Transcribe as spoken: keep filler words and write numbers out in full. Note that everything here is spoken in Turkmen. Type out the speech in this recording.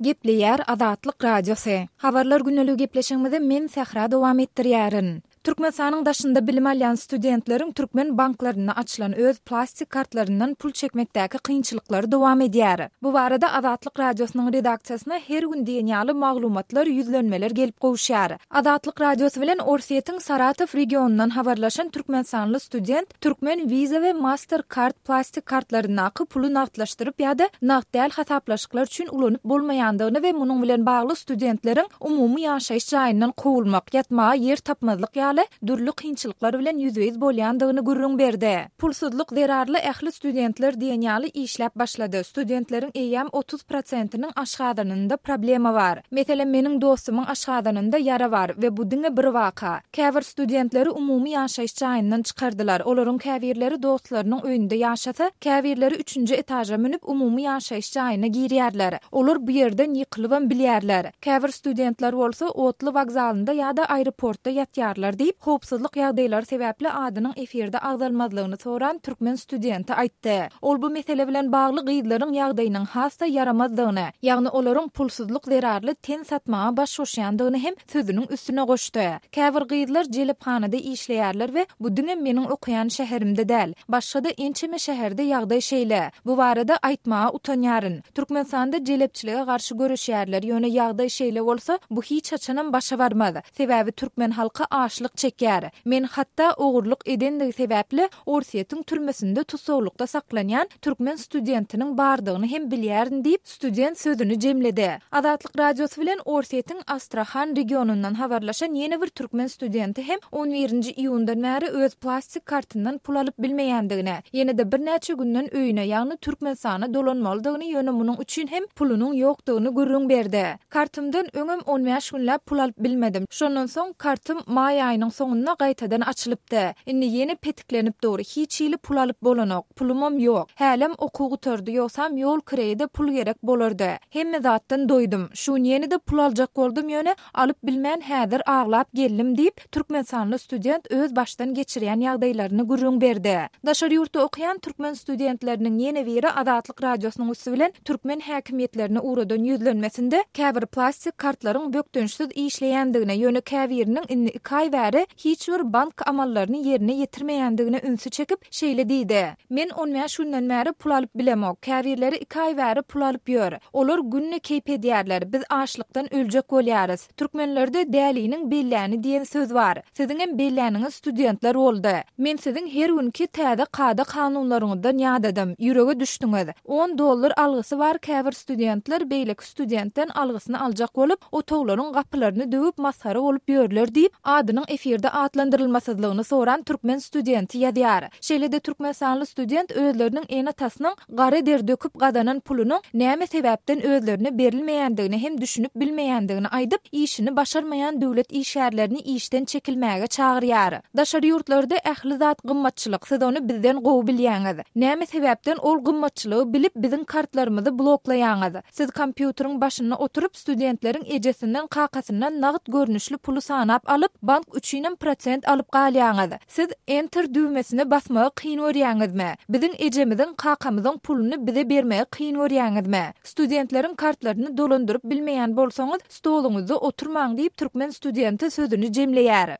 Gepleýär Azatlyk Radiosy. Habarlar gündeligi gepleşigimizi men Sähra dowam etdirýärin. Türkmenistanyň daşynda bilim alýan studentleriň türkmen banklarynda açylan öz plastik kartlaryndan pul çekmekdäki kynçylyklary dowam edýär. Bu barada Azatlyk Radiosynyň redaksiýasyna her gün diýen ýaly maglumatlar, ýüzlenmeler gelip gowuşýar. Azatlyk Radiosy bilen Orsýetiň Saratow regionyndan habarlaşan türkmenistanly student türkmen Visa we Mastercard plastik kartlaryndaky puly nagtlaşdyryp ýa-da nagt däl hasaplaşyklar üçin ulanyp bolmaýandygyny we munuň bilen bagly studentleriň umumy ýaşaýyş jaýyndan kowulmak, ýatmaga ýer tapmazlyk ýaly dürli kynçylyklar bilen ýüzbe-ýüz bolýandygyny gürrüň berdi. Pulsuzlyk zerarly ähli studentler diýen ýaly işläp başlady. Studentleriň eýýäm otuz prosentiniň aşgazanynda problema bar. Meselem, meniň dostumyň aşgazanynda ýara bar we bu diňe bir waka. Käbir studentleri umumy ýaşaýyş jaýyndan çykardylar. Olaryň käbirleri dostlarynyň öýünde ýaşasa, käbirleri üçünji etaža münüp umumy ýaşaýyş jaýyna girýärler. Olar bu ýerden ýykylybam bilýärler. Käbir studentler bolsa otly wokzalynda ýa-da aeroportda ýatýarlar diýip, howpsuzlyk ýagdaýlary sebäpli adynyň efirde agzalmazlygyny soran türkmen studenti aýtdy. Ol bu mesele bilen bagly gyzlaryň ýagdaýynyň has-da ýaramazdygyny, ýagny olaryň pulsuzlyk zerarly ten satmaga baş goşýandygyny hem sözüniň üstüne goşdy. Käbir gyzlar jelephanada işleýärler we bu diňe meniň okaýan şäherimde däl, başga-da ençeme şäherde ýagdaý şeýle. Bu barada aýtmaga utanýaryn. Türkmenistanda jelepçilige garşy göreşýärler, ýöne ýagdaý şeýle bolsa, bu hiç haçanam başa barmaz. Sebäbi türkmen halky açlyk çekýär. Men hatda ogurlyk edendigi sebäpli Orsýetiň türmesinde tussaglykda saklanýan türkmen studentiniň bardygyny hem bilýärin diýip, student sözüni jemledi. Azatlyk Radiosy bilen Orsýetiň Astrahan regionyndan habarlaşan ýene bir türkmen studenti hem on birinji iýundan bäri öz plastik kartyndan pul alyp bilmeýändigini, ýene-de birnäçe günden öýüne, ýagny Türkmenistana dolanmalydygyny, ýöne munuň üçin hem pulunyň ýokdugyny gürrüň berdi. Kartymdan öňem on bäş günläp pul alyp bilmedim. Şondan soň kartym maý aýynyň soňunda gaýtadan açylypdy. Indi ýene petiklenip dur, hiç hili pul alyp bolanok, pulumam ýok. Hälem okuw gutardy, ýogsam ýol kireýe-de pul gerek bolardy. Hemme zatdan doýdum. Şu gün ýene-de pul aljak boldum, ýöne alyp bilmän häzir aglap geldim diýip, türkmenistanly student öz başdan geçirýän ýagdaýlaryny gürrüň berdi. Daşary ýurtda okaýan türkmen studentleriniň ýene biri Azatlyk Radiosynyň üsti bilen türkmen häkimiýetlerine ugradan ýüzlenmesinde käbir plastik kartlaryň bökdençsiz işleýändigine, ýöne käbiriniň indi iki aý bäri hiç bir bank amallaryny ýerine ýetirmeýändigine ünsi çekip, şeýle diýdi, Men on bäş günden bäri pul alyp bilemok. Käbirleri iki aý bäri pul alyp ýör. Olar günde keýp edýärler. Biz açlykdan öljek bolýarys. Türkmenlerde däliniň belläni diýen söz bar. Siziňem belläniňiz studentler boldy. Men siziň her günki täze kada-kanunlaryňyzdan ýadadym. Ýürege düşdüňiz. On dollar algysy bar käbir studentler beýleki studentden algysyny aljak bolup, otaglaryň gapylaryny döwüp masgara bolup ýörler diýip, adynyň efirde atlandyrylmasyzlygyny soran türkmen studenti ýazýar. Şeýle-de türkmenistanly student özleriniň ene-atasynyň gara der döküp gazanan pulunyň näme sebäpden özlerine berilmeýändigine hem düşünip bilmeýändigini aýdyp, işini başarmaýan döwlet işgärlerini işden çekilmäge çagyrýar. Daşary ýurtlarda ähli zat gymmatçylyk, siz ony bizden gowy bilýäňiz. Näme sebäpden ol gymmatçylygy bilip biziň kartlarymyzy bloklaýaňyz? Siz kompýuteriň başynda oturyp studentleriň ejesinden kakasyndan nagt görnüşli puly sanap alyp, bank üçinem prosent alyp galýaňyz. Siz Enter düwmesine basmagy kyn görýäňizmi? Biziň ejemiziň, kakamyzyň puluny bize bermegi kyn görýäňizmi? Studentleriň kartlaryny dolandyryp bilmeýän bolsaňyz, stoluňyzda oturmaň diýip, türkmen studenti sözüni jemleýär.